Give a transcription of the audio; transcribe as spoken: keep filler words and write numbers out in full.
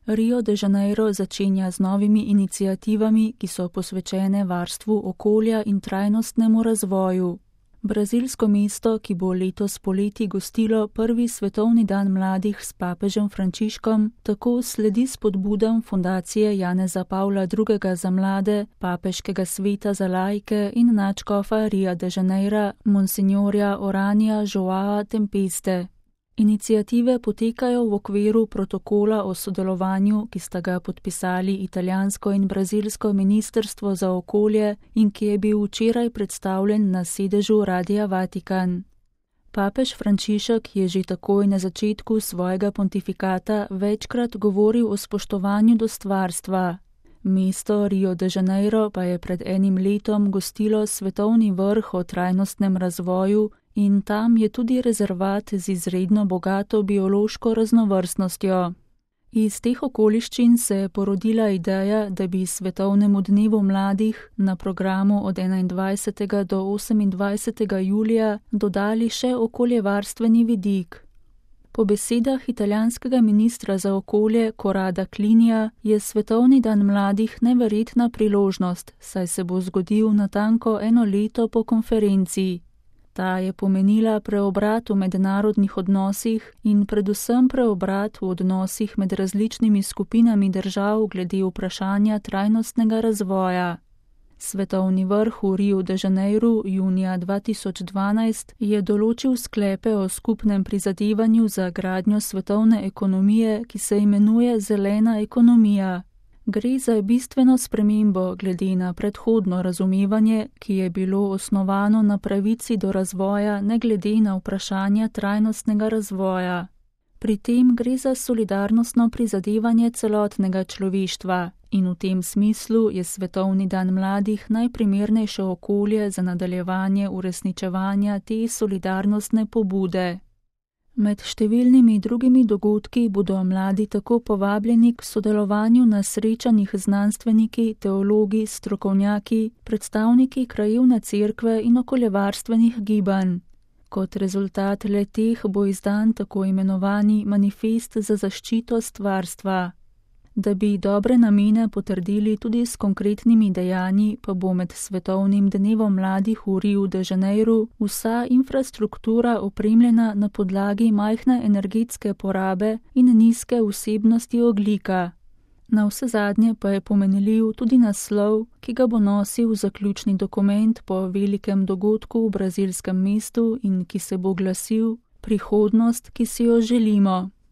Rio de Janeiro začenja z novimi iniciativami, ki so posvečene varstvu okolja in trajnostnemu razvoju. Brazilsko mesto, ki bo letos poleti gostilo prvi svetovni dan mladih s papežem Frančiškom, tako sledi spodbudam fundacije Janeza Pavla drugega za mlade, papeškega sveta za laike in nadškofa Ria de Janeira, monsignorja Oranja Joaa Tempeste. Iniciative potekajo v okviru protokola o sodelovanju, ki sta ga podpisali italijansko in brazilsko ministrstvo za okolje in ki je bil včeraj predstavljen na sedežu Radia Vatikan. Papež Frančišek je že takoj na začetku svojega pontifikata večkrat govoril o spoštovanju do stvarstva. Mesto Rio de Janeiro pa je pred enim letom gostilo svetovni vrh o trajnostnem razvoju in tam je tudi rezervat z izredno bogato biološko raznovrstnostjo. Iz teh okoliščin se je porodila ideja, da bi svetovnemu dnevu mladih na programu od enaindvajsetega do osemindvajsetega julija dodali še okoljevarstveni vidik. Po besedah italijanskega ministra za okolje Corrada Clinija je svetovni dan mladih neverjetna priložnost, saj se bo zgodil natanko eno leto po konferenciji. Ta je pomenila preobrat v mednarodnih odnosih in predvsem preobrat v odnosih med različnimi skupinami držav glede vprašanja trajnostnega razvoja. Svetovni vrh v Riu de Janeiru junija dva tisoč dvanajst je določil sklepe o skupnem prizadevanju za gradnjo svetovne ekonomije, ki se imenuje zelena ekonomija. Gre za bistveno spremembo glede na predhodno razumevanje, ki je bilo osnovano na pravici do razvoja ne glede na vprašanja trajnostnega razvoja. Pri tem gre za solidarnostno prizadevanje celotnega človeštva in v tem smislu je Svetovni dan mladih najprimernejše okolje za nadaljevanje uresničevanja te solidarnostne pobude. Med številnimi drugimi dogodki bodo mladi tako povabljeni k sodelovanju na srečanjih znanstveniki, teologi, strokovnjaki, predstavniki krajevne cerkve in okoljevarstvenih gibanj. Kot rezultat le-teh bo izdan tako imenovani manifest za zaščito stvarstva. Da bi dobre namene potrdili tudi s konkretnimi dejanji, pa bo med Svetovnim dnevom mladih v Riu de Janeiru vsa infrastruktura opremljena na podlagi majhne energetske porabe in nizke vsebnosti ogljika. Navsezadnje pa je pomenljiv tudi naslov, ki ga bo nosil zaključni dokument po velikem dogodku v brazilskem mestu in ki se bo glasil Prihodnost, ki si jo želimo.